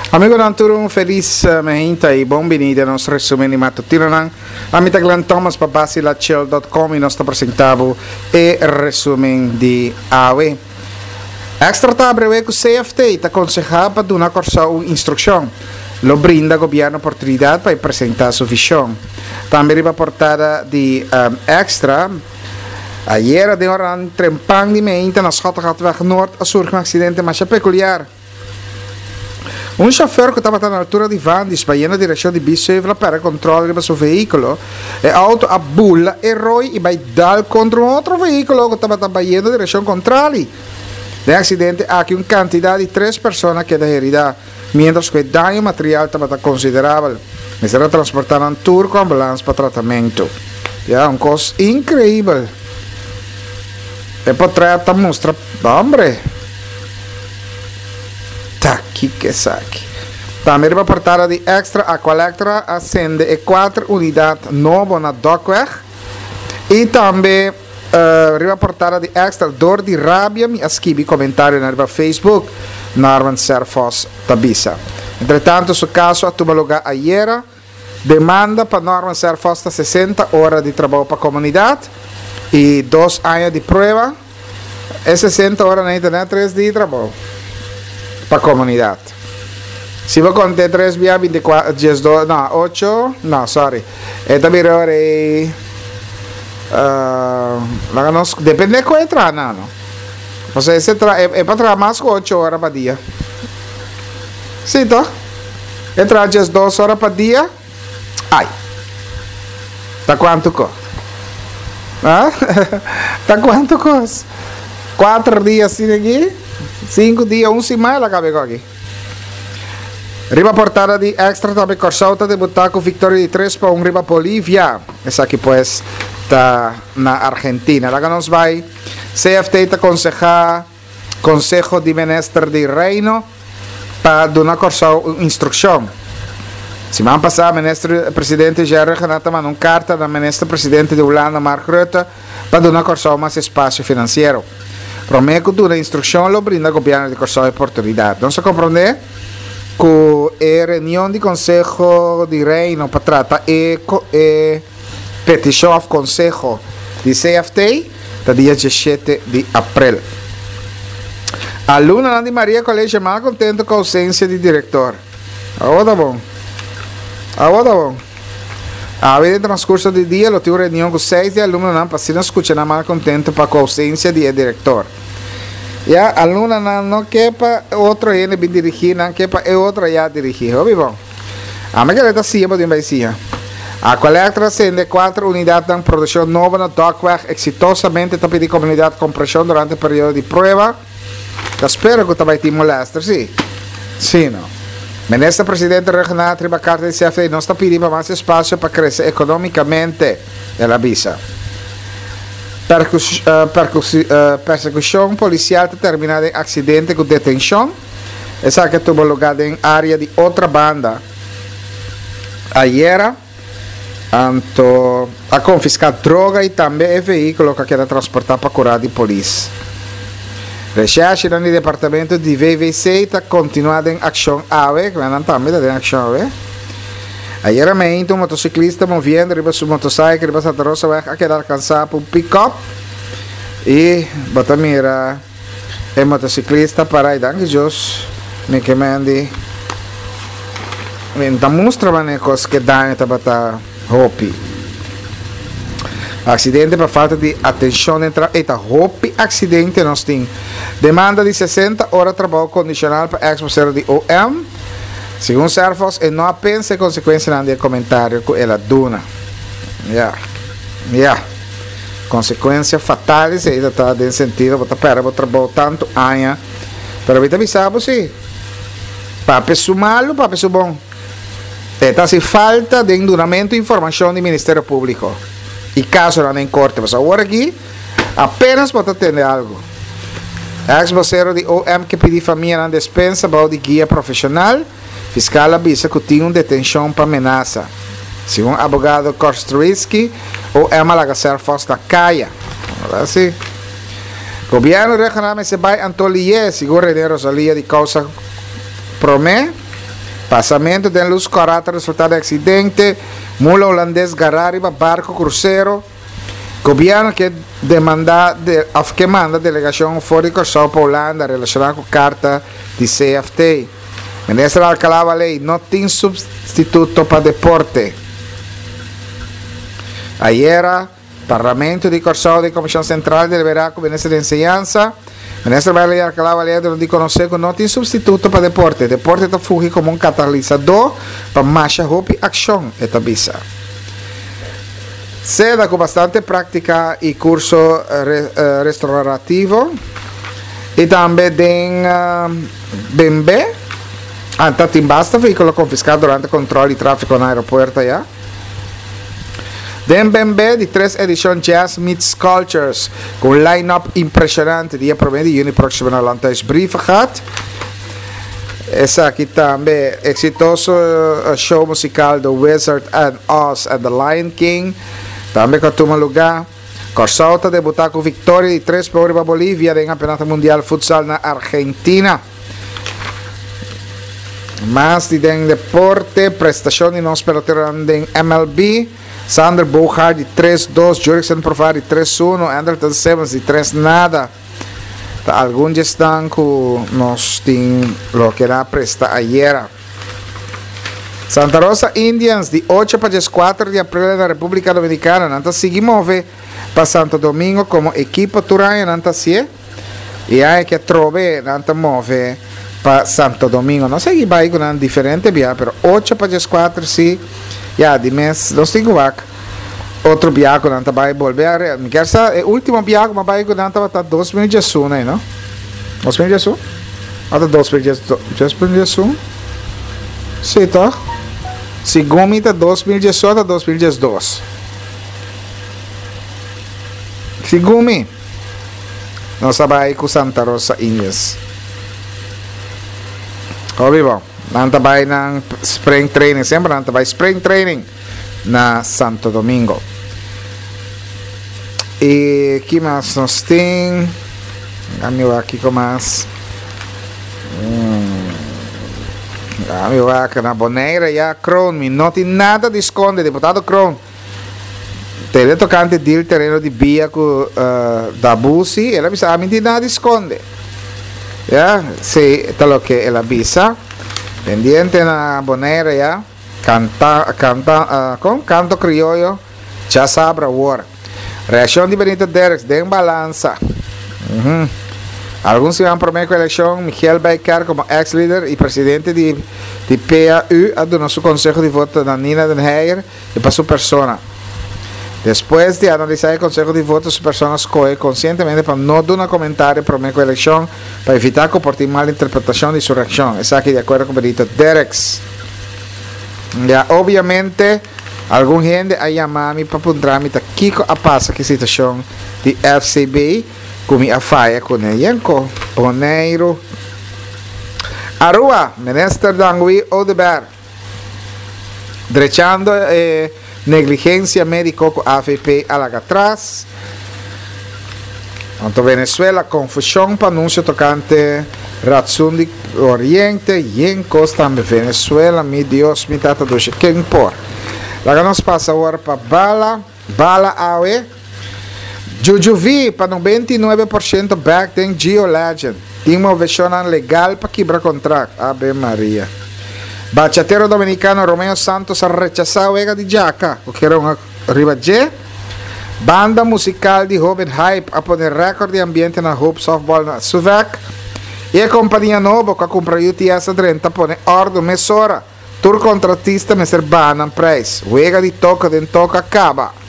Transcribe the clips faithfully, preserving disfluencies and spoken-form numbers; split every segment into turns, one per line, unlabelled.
Amigonan tur un felis meinta y bon bini den nos resumen di matutinonan. Ami ta Glenn Thomas pa Bacilachill dot com y nos ta presenta bo e resumen di awe. Extra ta brewe cu C F T ta conseha pa duna Corsou un instruccion. Lo brinda gobierno oportunidad pa e presenta su vision. Tambe riba portada di, um, Extra, ayera den oran trempan di meinta na Schottegatweg Noord a surgi un accidente masha peculiar. Un chauffeur que tabata na altura di Vandis, bayendo na direccion di Biesheuvel, a perde control riba su vehiculo. E auto a bula e rooi y bay dal contra un otro vehiculo que tabata bayendo na direccion contrario. Den accidente aki un cantidad di tres persona queda herida, mientras que el daño material tabata considerable. Mester a transporta nan tur cu ambulance pa tratamento. Ja, un cos increíble. E portret ta mustra, hombre. Ta, kiko esaki. Tambe riba portada di Extra, Aqualectra ascende e cuatro unidad nobo na Dokweg. Y tambe, eh, riba portada di Extra, dor di rabia mi a skibi comentario na riba Facebook, Norman Serphos tabisa. Entre tanto, su caso a tuma lugar ayera. Demanda pa Norman Serphos ta sesenta ora di trabou pa comunidad y dos aña di prueba. E sesenta ora na internet, tres dia di trabou pa comunidad. Si bo conta tres via veinticuatro, diez, dos, no, ocho, no, sorry. Esta mira ora e, eh, laga nos, depende de cuál traha, no, no. O sea, ese tra, e, e pa traha mas cu ocho ora pa dia. Sí, to? E traha diez dos ora pa dia. Ai. Ta cuanto co? Ah? Ta cuanto cos? Cuatro dias sin aquí? Cinco dias, un semana la cabe aquí. Riba portada di Extra tambe Corsou ta debuta cu victoria di tres pa un riba Bolivia. Esaki pues ta na Argentina. Laga nos bay. C F T ta aconseja Consejo di Minister di Reino pa duna Corsou un instruccion. Siman pasa, minister presidente Jerry Rhuggenaath manda un carta na minister presidente di Hulanda Mark Rutte pa duna Corsou mas espacio financiero. Prome cu duna instruccion lo brinda gobierno di Corsou oportunidad. Nos a comprende cu e reunion di Consejo di Reino pa trata e co-, e peticion of consejo di C F T ta dia diesisiete di april. Alumno di Maria College mal contento cu ausencia di director. Awor ta bon. Awor ta bon. A ver, en transcurso di dia lo tin un reunion cu seis di alumnonan pa asina scucha nan mal contento pa cu ausencia di e director. Ya, alumnonan no ke pa otro hende bin dirigi, nan ke pa e otro ya dirigi. Hopi bon. A me que ta siya, pa din bay siya. Aqualectra sende cuatro unidad de producción nova na Dokweg exitosamente ta pidi comunidad comprensión durante el periodo di prueba. Ta spero cu ta bay tin molester, sí. Sí, no. Minister Presidente Rhuggenaath riba carta di C F T no sta pidi pa mas espacio pa crece económicamente, el a bisa. Percus-, eh, percus-, eh, persecución policial ta termina den accidente cu detención. Esaki tuvo lugar den área di otra banda. Ayera, anto a confiscar droga y tambe e vehículo que queda transportar pa curar di polis. Recherche dan di departamento di V V C ta continua den acción A V, que nan tambe ta den acción A V. Ayer meinte un motociclista moviendo riba su motociclo riba Santa Rosa weg a quedar alcanzado por un pick-up y bota mira el motociclista para y danke Dios me que mendi me ta mostra mane cos que daño ta bata hopi. Accidente por falta de atención entra eta hopi accidente nos tin. Demanda de sesenta horas trabajo condicional para ex vocero de O M. Según Serphos, e no pense consecuencia de comentario que ela duna. Ya. Ya. Consecuencias fatales e está den sentido, bota pera, bota trabalho tanto aña. Pero ahorita avisamos, sí. Pape su malo, pape su bom. Eta si falta de enduramento e información del Ministerio Público. Y caso no en corte. Pues ahora aquí, apenas bota atender algo. Ex vocero de O M que pedi familia na despensa bajo de guia profesional. Fiscal avisa que tinha uma detenção para ameaça. Segundo o abogado Kostrowski, O M alaga Serphos na caia. Agora sim. Governo regional se vai Antolier, segundo René Rosalia de causa promé. Pasamentu den lus kòrá ta resultá den aksidente. Mula hulandes gará riba barku krusero. Gobièrnu ke demandá de òf ke manda delegashon for di Kòrsou pa Hulanda relashoná ku karta di C F T. Minister Alcalá Wallé, no tin supstituto pa deporte. Ayera, Parlamento di Kòrsou di Komishon Sentral deliberá ku Minister di Enseñansa. Minister Beverly Alcalá Wallé di konosé ku no tin supstituto pa deporte. Deporte ta fungi komo un katalisadó pa masha hopi akshon, e ta bisa. Seda ku bastante práktika i kurso re, uh, restaurativo i tambe den uh, B M W. Anta tin basta vehíkulo konfiská durante kontròl di tráfiko na aeropuerto ya. Den B M W di tres edishon Jazz Meets Cultures ku un line-up impreshonante dia promé di yüni próksimo na Landhuis Brievengat. Esaki tambe eksitoso eh, show musikal The Wizard and Oz and the Lion King tambe ku a tuma lugá. Kòrsou ta debutá ku viktoria di tres pa un Bolivia den Kampeonato Mundial Futsal na Argentina. Mas di den deporte, prestashon di nos pelotero den M L B. Xander Bogaerts di tres dos, Jurickson Profar di tres un, Andrelton Simmons di tres nada. Ta algun esnan ku nos tin loke a presta ayera. Santa Rosa Indians di ocho pa kuater di aprel na Repúblika Dominikana. Nan ta sigui move pa Santo Domingo komo ekipo tur aña nan ta hasi. I ei ku trobe nan ta move pa Santo Domingo. No sei bai ku diferente bia, pero ocho pa kuater si. Ya, di mes, nos tin wak. Otro bia ku nan ta bai bolbe a mi ke sa e último bia ku m'a bai ku nan tabata dos mil diesun, no? dos mil diesun? Ata dos mil diesun? Si, ta? Segun mi ta dos mil diesocho, dos mil diesdos. Segun mi. Nos a bai ku Santa Rosa Indians. Hopi bon. Nan ta bai na spring training. Semper nan ta bai spring training na Santo Domingo. I ki mas nos tin? Ami aki ku mas. Hum. Ami aki na Bonaire ya Kroon, mi no tin nada di skonde, diputado Kroon. Tele tokante deal tereno di via ku uh, Dabusi, el a bisa, ami tin nada di skonde. Ya, si, ta loke el a bisa. Pendiente na Bonaire ya. Kanta, kanta, uh, kon Kanto Krioyo, djasabra awor. Reakshon di Benito Derks, den balansa. Uhum. Algun siman promé ku elekshon, Michiel Bijker komo ex-líder i presidente di, di P A U a duna su konseho di voto na Nina Den Heyer i pa su persona. Despues di analisá e konseho di voto, su persona a skohe konsientemente pa no duna komentario promé ku elekshon pa evitá ku por tin mal interpretashon di su reakshon. Esaki di akuerdo ku Benito Derks. Ya, obviamente, algun hende a yama mi pa puntra mi ta kiko a pasa ku situashon di F C B ku mi a faya ku Yenko, Boneiru. Aruba, Minister Dangui Oduber. Drechando eh, negligensia médiko ku A V P a laga atras. Anto Venezuela, konfushon pa anunsio tokante ratsun di Oriente, Yenko tambe Venezuela, mi Dios, mi tata dushi, ken por. Laga nos pasa awor pa bala, bala awe. Juju V pa nobenta i nuebe porshento back den Gio Legend. Tin moveshon legal pa kibra kontrakt. Ave Maria. Bachatero dominikano Romeo Santos a rechasá wega di djaka. O ke un riba G. Banda musikal di Hoben Hype a pone rékòrt di ambiente na Hope Softball na Suvek. I e kompania nobo ku a kumpra U T S a drenta pone òrdu mesora. Tur kontratista mester baha nan preis. Wega di toka den toka kaba.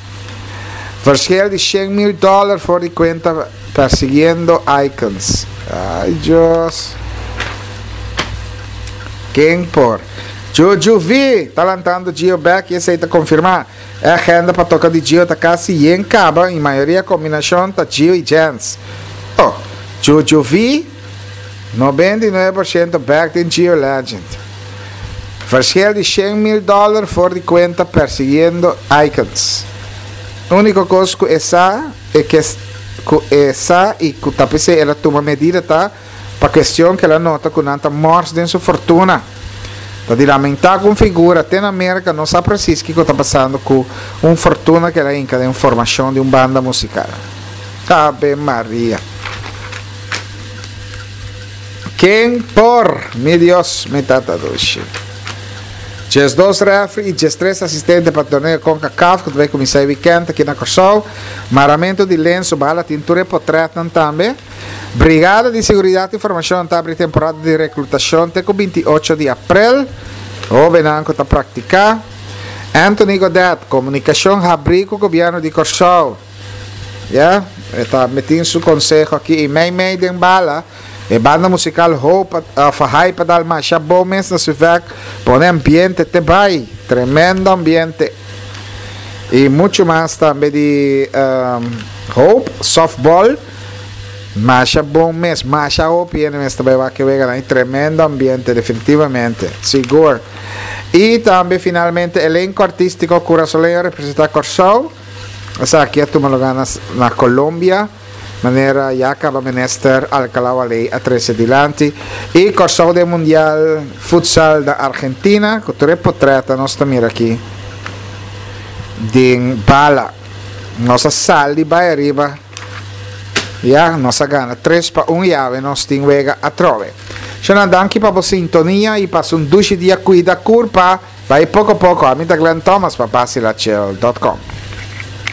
Verschil di shen mil dòler for di kuenta persiguiendo Icons. Ai, Dios. Ken por? Juju V, ta lantando Gio back i esei ta konfirmá. E agenda pa toka di Gio ta kasi yen kaba i mayoria kombinashon ta Gio i Jens. Oh, Juju V, nobenta i nuebe porshento back den Gio Legend. Verschil di shen mil dòler for di kuenta persiguiendo Icons. Úniko kos ku e sa e ku e sa i ku ta p'esei el a tuma medida ta pa kuestion ku el a nota ku nan ta mors den su fortuna. Ta di lamentá ku figura te na Merka no sa presis kiko ta pasando ku un fortuna ku el a hinka den formashon di un banda musikal. Ave Maria. Ken por? Mi Dios, mi tata dushi. Diesdos referee i diestres asistente pa torneo CONCACAF ku ta bai kuminsá e wikènt aki na Kòrsou. Maramentu di lenso bala tin tur e potrètnan tambe. Brigada di Seguridat i Formashon ta abri temporada di reklutashon te ku binti ocho di aprel. Hóbennan ku ta praktiká. Anthony Godett, Komunikashon habrí ku Gobièrnu di Kòrsou. Ya, e ta metin su konseho aki i mei mei den bala. E banda musikal Hope òf Hype a dal masha bon mes na Suvek, pone ambiente te bai. Tremendo ambiente. I muchu mas tambe di Hope Softball. Masha bon mes, masha hopi hende mes ta bai wak e weganan i tremendo ambiente definitivamente, sigur. I tambe finalmente elenco artistico Curasoleño a representa Kòrsou, esaki a tuma luga na na Colombia, manera ya caba Minister Alcalá Wallé a trece dilanti. I Kòrsou den Mundial Futsal na Argentina, ku tur e potrètnan nos ta mira aki den bala. Nos a sali bai ariba. Ya, nos a gana tres pa un y awe nos tin wega atrobe. Shona, danki pa bo sintonia y pasa un dushi dia cuida curpa, bay poco poco. Ami ta Glenn Thomas pa Basilachill dot com.